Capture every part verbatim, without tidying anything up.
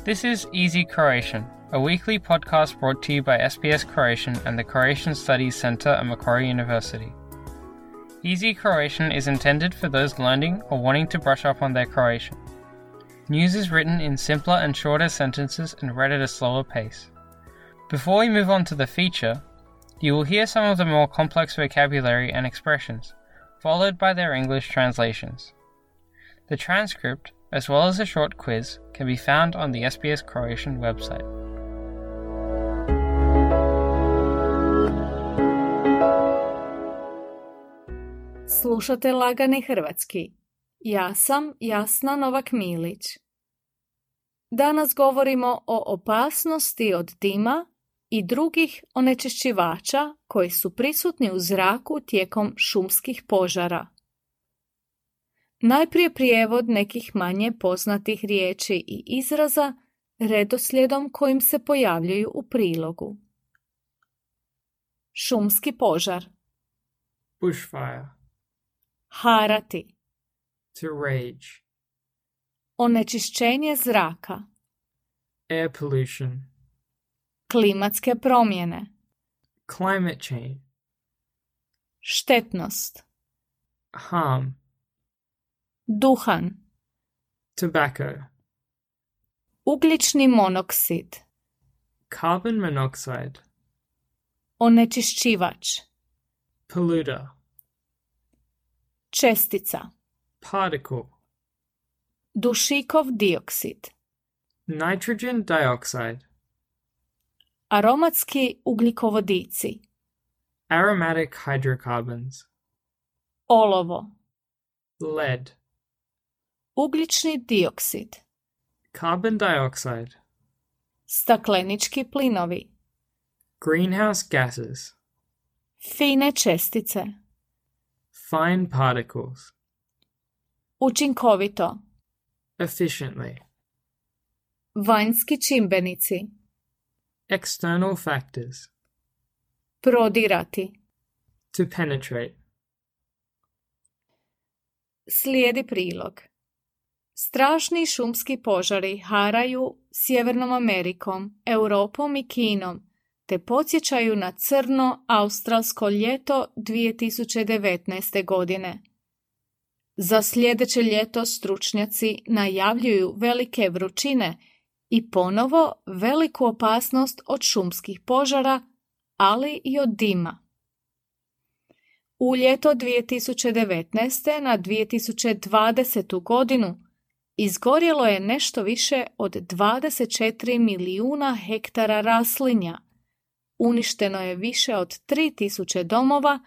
This is Easy Croatian, a weekly podcast brought to you by S B S Croatian and the Croatian Studies Centre at Macquarie University. Easy Croatian is intended for those learning or wanting to brush up on their Croatian. News is written in simpler and shorter sentences and read at a slower pace. Before we move on to the feature, you will hear some of the more complex vocabulary and expressions, followed by their English translations. The transcript, as well as a short quiz, can be found on the S B S Croatian website. Slušate Lagani hrvatski. Ja sam Jasna Novak-Milić. Danas govorimo o opasnosti od dima i drugih onečišćivača koji su prisutni u zraku tijekom šumskih požara. Najprije prijevod nekih manje poznatih riječi i izraza redoslijedom kojim se pojavljuju u prilogu. Šumski požar. Bushfire. Harati. To rage. Onečišćenje zraka. Air pollution. Klimatske promjene. Climate change. Štetnost. Harm. Duhan. Tobacco. Ugljični monoksid. Carbon monoxide. Onečišćivač. Polluter. Čestica. Particle. Dušikov dioksid. Nitrogen dioxide. Aromatski ugljikovodici. Aromatic hydrocarbons. Olovo. Lead. Ugljični dioksid. Carbon dioxide. Staklenički plinovi. Greenhouse gases. Fine čestice. Fine particles. Učinkovito. Efficiently. Vanjski čimbenici. External factors. Prodirati. To penetrate. Slijedi prilog. Strašni šumski požari haraju Sjevernom Amerikom, Europom i Kinom, te podsjećaju na crno australsko ljeto dvije tisuće devetnaeste. godine. Za sljedeće ljeto stručnjaci najavljuju velike vrućine i ponovo veliku opasnost od šumskih požara, ali i od dima. U ljeto dvije tisuće devetnaeste. na dvije tisuće dvadesetu. godinu izgorjelo je nešto više od dvadeset četiri milijuna hektara raslinja, uništeno je više od tri tisuće domova,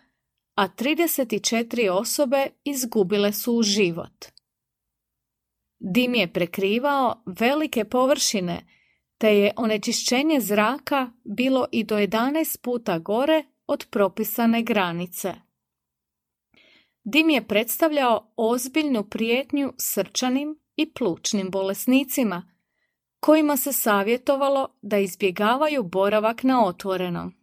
a trideset četiri osobe izgubile su život. Dim je prekrivao velike površine, te je onečišćenje zraka bilo i do jedanaest puta gore od propisane granice. Dim je predstavljao ozbiljnu prijetnju srčanim i plućnim bolesnicima, kojima se savjetovalo da izbjegavaju boravak na otvorenom.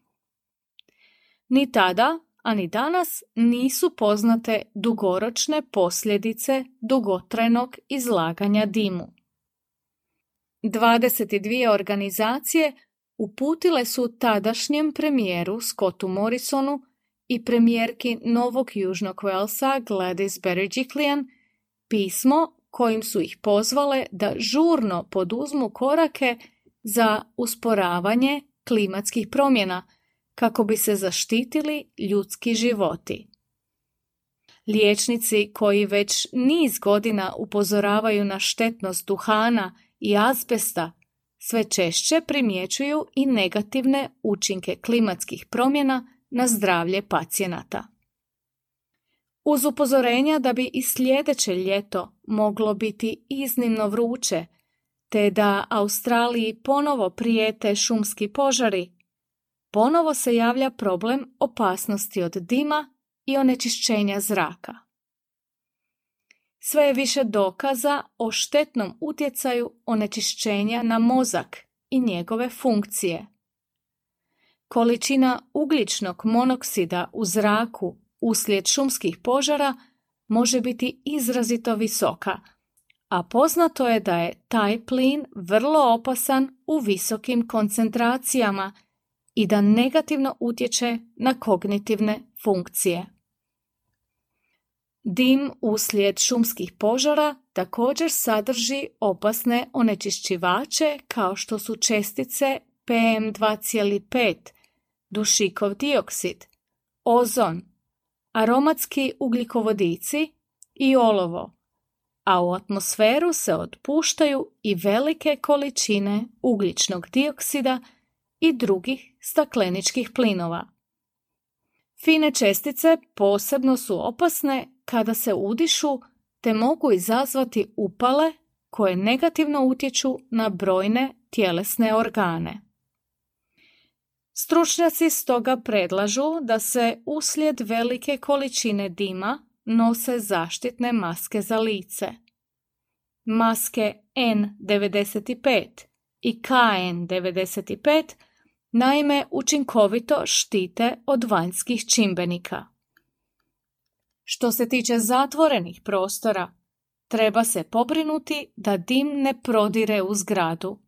Ni tada, a ni danas nisu poznate dugoročne posljedice dugotrajnog izlaganja dimu. dvadeset dvije organizacije uputile su tadašnjem premijeru Scottu Morrisonu i premijerki Novog Južnog Walesa Gladys Berejiklian pismo kojim su ih pozvale da žurno poduzmu korake za usporavanje klimatskih promjena kako bi se zaštitili ljudski životi. Liječnici koji već niz godina upozoravaju na štetnost duhana i azbesta sve češće primjećuju i negativne učinke klimatskih promjena na zdravlje pacijenata. Uz upozorenja da bi i sljedeće ljeto moglo biti iznimno vruće, te da Australiji ponovo prijete šumski požari, ponovo se javlja problem opasnosti od dima i onečišćenja zraka. Sve je više dokaza o štetnom utjecaju onečišćenja na mozak i njegove funkcije. Količina ugljičnog monoksida u zraku uslijed šumskih požara može biti izrazito visoka, a poznato je da je taj plin vrlo opasan u visokim koncentracijama i da negativno utječe na kognitivne funkcije. Dim uslijed šumskih požara također sadrži opasne onečišćivače kao što su čestice P M dva zarez pet, dušikov dioksid, ozon, aromatski ugljikovodici i olovo, a u atmosferu se otpuštaju i velike količine ugljičnog dioksida i drugih stakleničkih plinova. Fine čestice posebno su opasne kada se udišu te mogu izazvati upale koje negativno utječu na brojne tjelesne organe. Stručnjaci stoga predlažu da se uslijed velike količine dima nose zaštitne maske za lice. Maske N devedeset pet i K N devedeset pet naime učinkovito štite od vanjskih čimbenika. Što se tiče zatvorenih prostora, treba se pobrinuti da dim ne prodire u zgradu.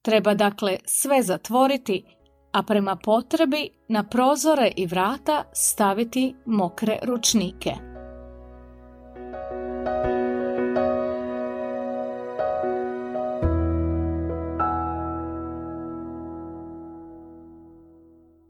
Treba dakle sve zatvoriti, a prema potrebi na prozore i vrata staviti mokre ručnike.